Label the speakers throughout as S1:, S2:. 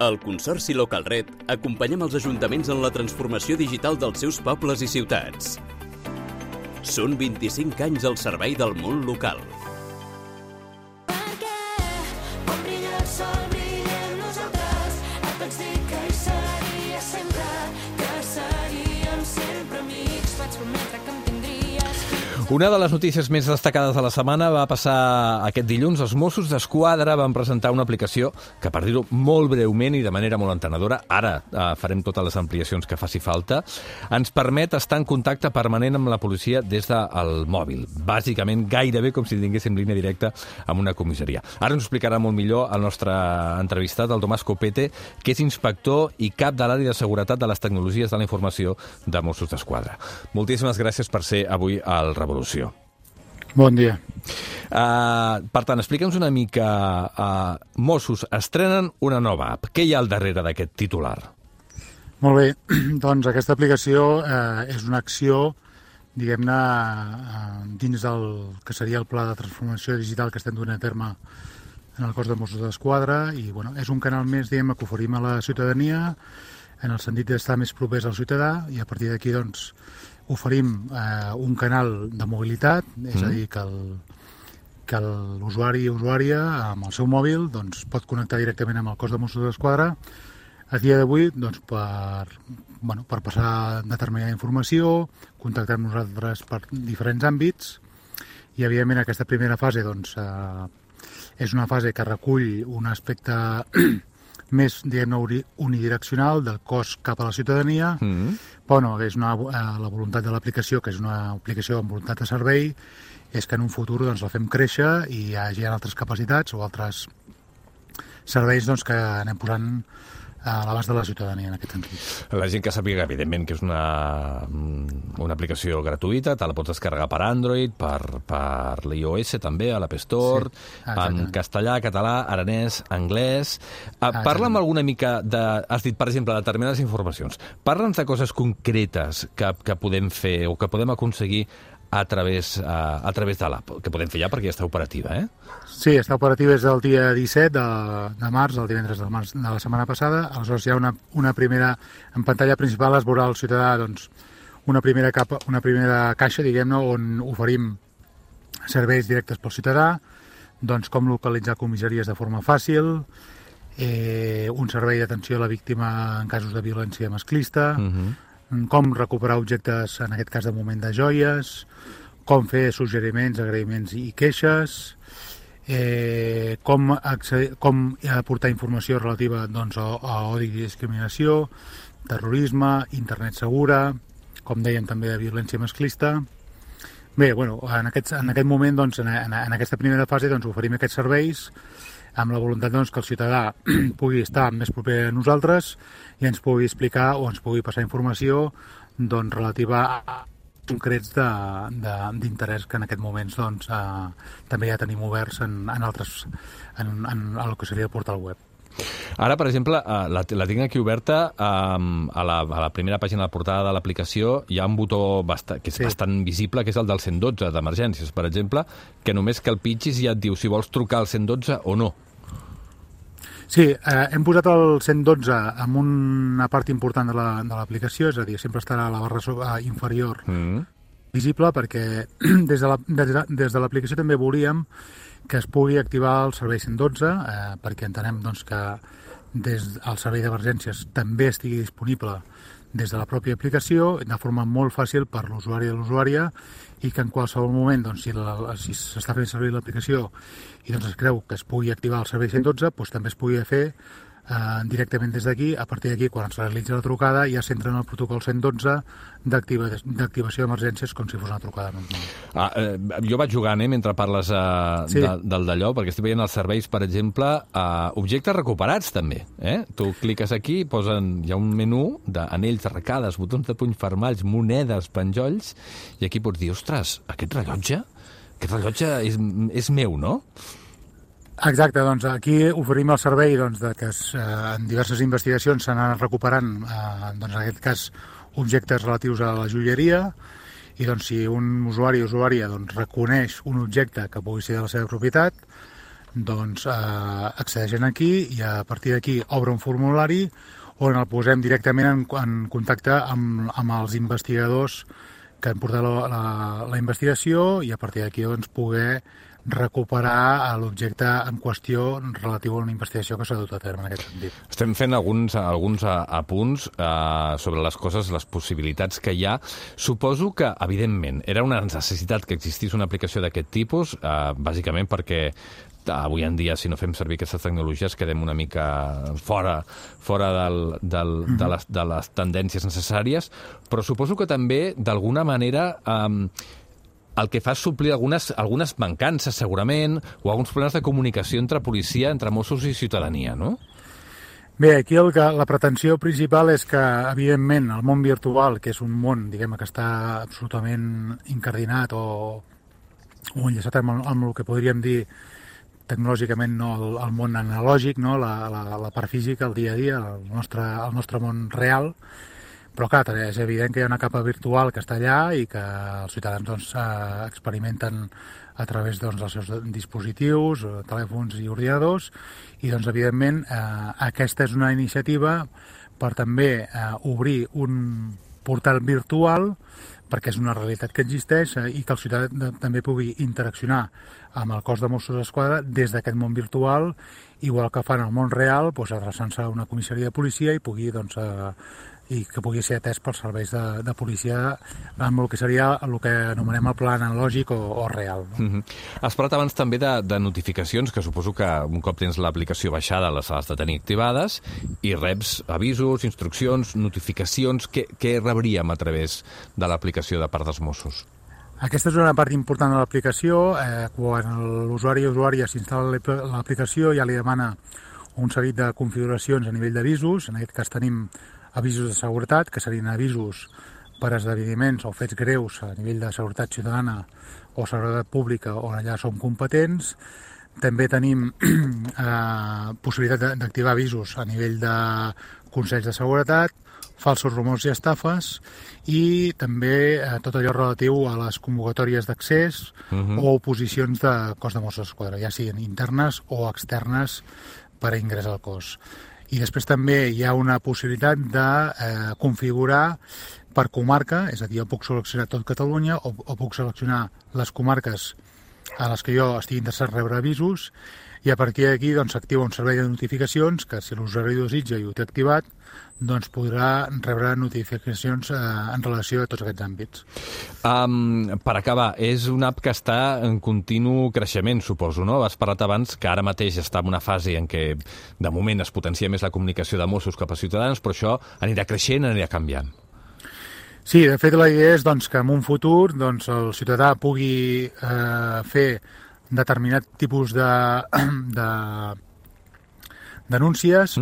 S1: Al Consorci Localred acompanyem els ajuntaments en la transformació digital dels seus pobles i ciutats. Són 25 anys al servei del món local.
S2: Una de les notícies més destacades de la setmana va passar aquest dilluns. Els Mossos d'Esquadra van presentar una aplicació que, per dir-ho molt breument i de manera molt entenedora, ara farem totes les ampliacions que faci falta, ens permet estar en contacte permanent amb la policia des del mòbil. Bàsicament, gairebé com si tinguéssim línia directa amb una comissaria. Ara ens ho explicarà molt millor el nostre entrevistat, el Tomàs Copete, que és inspector i cap de l'àrea de seguretat de les tecnologies de la informació de Mossos d'Esquadra. Moltíssimes gràcies per ser avui al Revolució.
S3: Bon dia.
S2: Per tant, explica'ns una mica. Mossos estrenen una nova app. Què hi ha al darrere d'aquest titular?
S3: Molt bé. Doncs aquesta aplicació és una acció, diguem-ne, dins del que seria el pla de transformació digital que estem duent a terme en el cos de Mossos d'Esquadra i és un canal més, diguem-ne, que oferim a la ciutadania en el sentit d'estar més propers al ciutadà i a partir d'aquí, doncs, oferim un canal de mobilitat, és a dir, que l'usuari o usuària amb el seu mòbil doncs, pot connectar directament amb el cos de Mossos d'Esquadra a dia d'avui doncs, per passar determinada informació, contactar amb nosaltres per diferents àmbits i, evidentment, aquesta primera fase doncs, és una fase que recull un aspecte més, diguem-ne, unidireccional del cos cap a la ciutadania, però és la voluntat de l'aplicació, que és una aplicació amb voluntat de servei, és que en un futur doncs, la fem créixer i hi hagi altres capacitats o altres serveis doncs, que anem posant a l'abast de la ciutadania en aquest sentit.
S2: La gent que sàpiga, evidentment, que és una aplicació gratuïta, te la pots descarregar per Android, per l'iOS també, a l'App Store, en castellà, català, aranès, anglès. Parla'm alguna mica de... Has dit, per exemple, determinades informacions. Parla'ns de coses concretes que podem fer o que podem aconseguir a través de l'app, que podem fer ja perquè ja està operativa, eh?
S3: Sí, està operativa des del dia 17 de març, el divendres de març de la setmana passada. Aleshores hi ha una primera... En pantalla principal es veurà el ciutadà doncs, una primera caixa, diguem-ne, on oferim serveis directes pel ciutadà, doncs com localitzar comissaries de forma fàcil, un servei d'atenció a la víctima en casos de violència masclista, com recuperar objectes, en aquest cas de moment de joies, com fer suggeriments, agraïments i queixes, com aportar informació relativa doncs, a odi i discriminació, terrorisme, internet segura, com dèiem també de violència masclista. Bé, en aquest moment, doncs, en aquesta primera fase, doncs, oferim aquests serveis amb la voluntat doncs, que el ciutadà pugui estar més proper a nosaltres i ens pugui explicar o ens pugui passar informació doncs, relativa a concrets d'interès que en aquest moment doncs, també ja tenim oberts en el que seria el portal web.
S2: Ara, per exemple, la tinc aquí oberta, a la primera pàgina de la portada de l'aplicació hi ha un botó que és bastant visible, que és el del 112 d'emergències, per exemple, que només que el pitgis ja et diu si vols trucar al 112 o no.
S3: Sí, hem posat el 112 en una part important de l'aplicació, és a dir, sempre estarà a la barra inferior visible, perquè des de l'aplicació també volíem que es pugui activar el servei 112, perquè entenem doncs, que el servei d'emergències també estigui disponible des de la pròpia aplicació, de forma molt fàcil per l'usuari i l'usuària, i que en qualsevol moment, doncs, si s'està fent servir l'aplicació i doncs, es creu que es pugui activar el servei 112, doncs, també es pugui fer directament des d'aquí. A partir d'aquí, quan es realitza la trucada, ja s'entra en el protocol 112 d'activació d'emergències com si fos una trucada normal.
S2: Jo vaig jugant, mentre parles del d'allò, perquè estic veient els serveis, per exemple, objectes recuperats també. Tu cliques aquí, hi ha un menú d'anells, arracades, botons de puny fermalls, monedes, penjolls, i aquí pots dir, ostres, aquest rellotge és meu, no?
S3: Exacte, doncs aquí oferim el servei doncs, que en diverses investigacions s'han anat recuperant, doncs, en aquest cas, objectes relatius a la joieria, i doncs, si un usuari o usuària doncs, reconeix un objecte que pugui ser de la seva propietat, doncs accedeixen aquí i a partir d'aquí obre un formulari on el posem directament en contacte amb els investigadors que han portat la investigació i a partir d'aquí doncs, poder recuperar l'objecte en qüestió relatiu a una investigació que s'ha dut a terme en aquest sentit.
S2: Estem fent alguns apunts sobre les coses, les possibilitats que hi ha. Suposo que, evidentment, era una necessitat que existís una aplicació d'aquest tipus, bàsicament perquè avui en dia, si no fem servir aquestes tecnologies, quedem una mica fora de les tendències necessàries, però suposo que també, d'alguna manera, el que fa és suplir algunes mancances, segurament, o alguns problemes de comunicació entre policia, entre Mossos i ciutadania, no?
S3: Bé, aquí la pretensió principal és que, evidentment, el món virtual, que és un món, diguem, que està absolutament incardinat o enllaçat amb el que podríem dir tecnològicament, no el món analògic, no? la part física, el dia a dia, el nostre món real. Però clar, és evident que hi ha una capa virtual que està allà i que els ciutadans doncs, experimenten a través dels seus dispositius, telèfons i ordinadors, i doncs, evidentment, aquesta és una iniciativa per també obrir un portal virtual perquè és una realitat que existeix i que el ciutadà també pugui interaccionar amb el cos de Mossos d'Esquadra des d'aquest món virtual, igual que fan al món real, doncs, adreçant-se a una comissaria de policia i que pugui ser atès pels serveis de policia amb el que seria el que anomenem el pla analògic o real. No?
S2: Has parlat abans també de notificacions, que suposo que un cop tens l'aplicació baixada les has de tenir activades i reps avisos, instruccions, notificacions. Què rebríem a través de l'aplicació de part dels Mossos?
S3: Aquesta és una part important de l'aplicació. Quan l'usuari o usuària s'instal·la l'aplicació ja li demana un seguit de configuracions a nivell d'avisos. En aquest cas tenim avisos de seguretat, que serien avisos per esdeveniments o fets greus a nivell de seguretat ciutadana o seguretat pública on allà som competents. També tenim possibilitat d'activar avisos a nivell de consells de seguretat, falsos rumors i estafes, i també tot allò relatiu a les convocatòries d'accés o oposicions de cos de Mossos d'Esquadra, ja siguin internes o externes per a ingrés al cos. I després també hi ha una possibilitat de configurar per comarca, és a dir, jo puc seleccionar tot Catalunya o puc seleccionar les comarques a les que jo estigui interessat en rebre avisos i a partir d'aquí s'activa un servei de notificacions que si l'usuari desitja i ho té activat doncs podrà rebre notificacions en relació a tots aquests àmbits.
S2: Per acabar, és una app que està en continu creixement, suposo, no? Has parlat abans que ara mateix està en una fase en què de moment es potencia més la comunicació de Mossos cap a ciutadans, però això anirà creixent, anirà canviant.
S3: Sí, de fet la idea és que en un futur el ciutadà pugui fer determinat tipus de denúncies,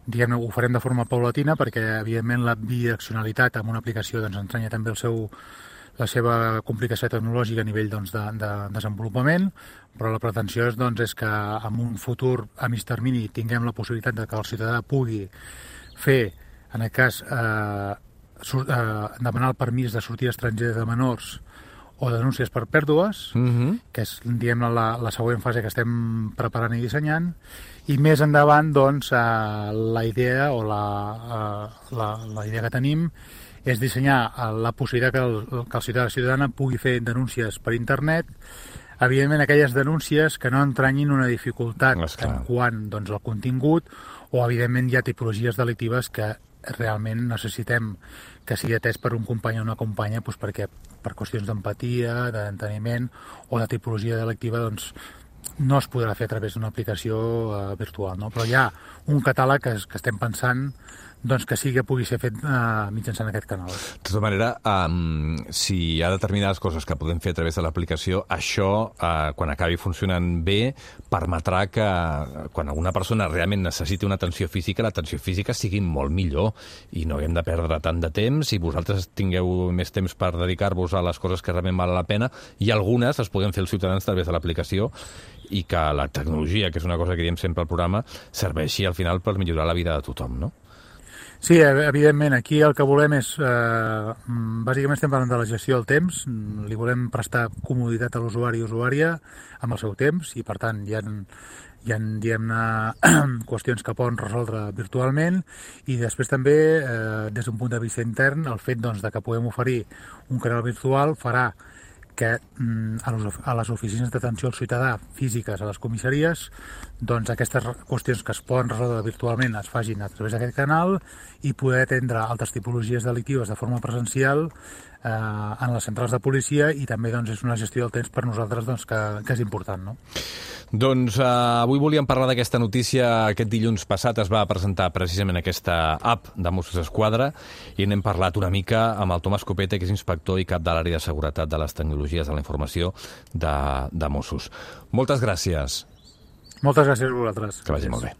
S3: diguem-ne, ho farem de forma paulatina perquè, evidentment, la bidireccionalitat amb una aplicació entranya també la seva complicació tecnològica a nivell de desenvolupament, però la pretensió és que en un futur a mig termini tinguem la possibilitat de que el ciutadà pugui fer, en aquest cas, demanar el permís de sortir estranger de menors o denúncies per pèrdues, que és, diguem-ne, la següent fase que estem preparant i dissenyant, i més endavant, la idea o la idea que tenim és dissenyar la possibilitat que el ciutadà o ciutadana pugui fer denúncies per internet, evidentment aquelles denúncies que no entranyin una dificultat en quant al contingut o, evidentment, hi ha tipologies delictives que realment necessitem que sigui atès per un company o una companya perquè per qüestions d'empatia, d'enteniment o de tipologia delictiva no es podrà fer a través d'una aplicació virtual, no? Però hi ha un catàleg que estem pensant que pugui ser fet mitjançant aquest canal.
S2: De tota manera, si hi ha determinades coses que podem fer a través de l'aplicació, això, quan acabi funcionant bé, permetrà que quan alguna persona realment necessiti una atenció física, l'atenció física sigui molt millor i no haguem de perdre tant de temps i vosaltres tingueu més temps per dedicar-vos a les coses que realment valen la pena i algunes les podem fer els ciutadans a través de l'aplicació i que la tecnologia, que és una cosa que diem sempre al programa, serveixi al final per millorar la vida de tothom, no?
S3: Sí, evidentment, aquí el que volem és, bàsicament estem parlant de la gestió del temps, li volem prestar comoditat a l'usuari i usuària amb el seu temps i, per tant, hi ha diguem-ne, qüestions que poden resoldre virtualment i després també, des d'un punt de vista intern, el fet doncs, de que puguem oferir un canal virtual farà que a les oficines d'atenció al ciutadà físiques a les comissaries, doncs aquestes qüestions que es poden resoldre virtualment es facin a través d'aquest canal i poder atendre altres tipologies delictives de forma presencial en les centrals de policia i també doncs, és una gestió del temps per nosaltres doncs, que és important. No?
S2: Doncs avui volíem parlar d'aquesta notícia. Aquest dilluns passat es va presentar precisament aquesta app de Mossos d'Esquadra i n'hem parlat una mica amb el Tomàs Copete, que és inspector i cap de l'àrea de seguretat de les tecnologies de la informació de Mossos. Moltes gràcies.
S3: Moltes gràcies a vosaltres.
S2: Que vagi molt bé.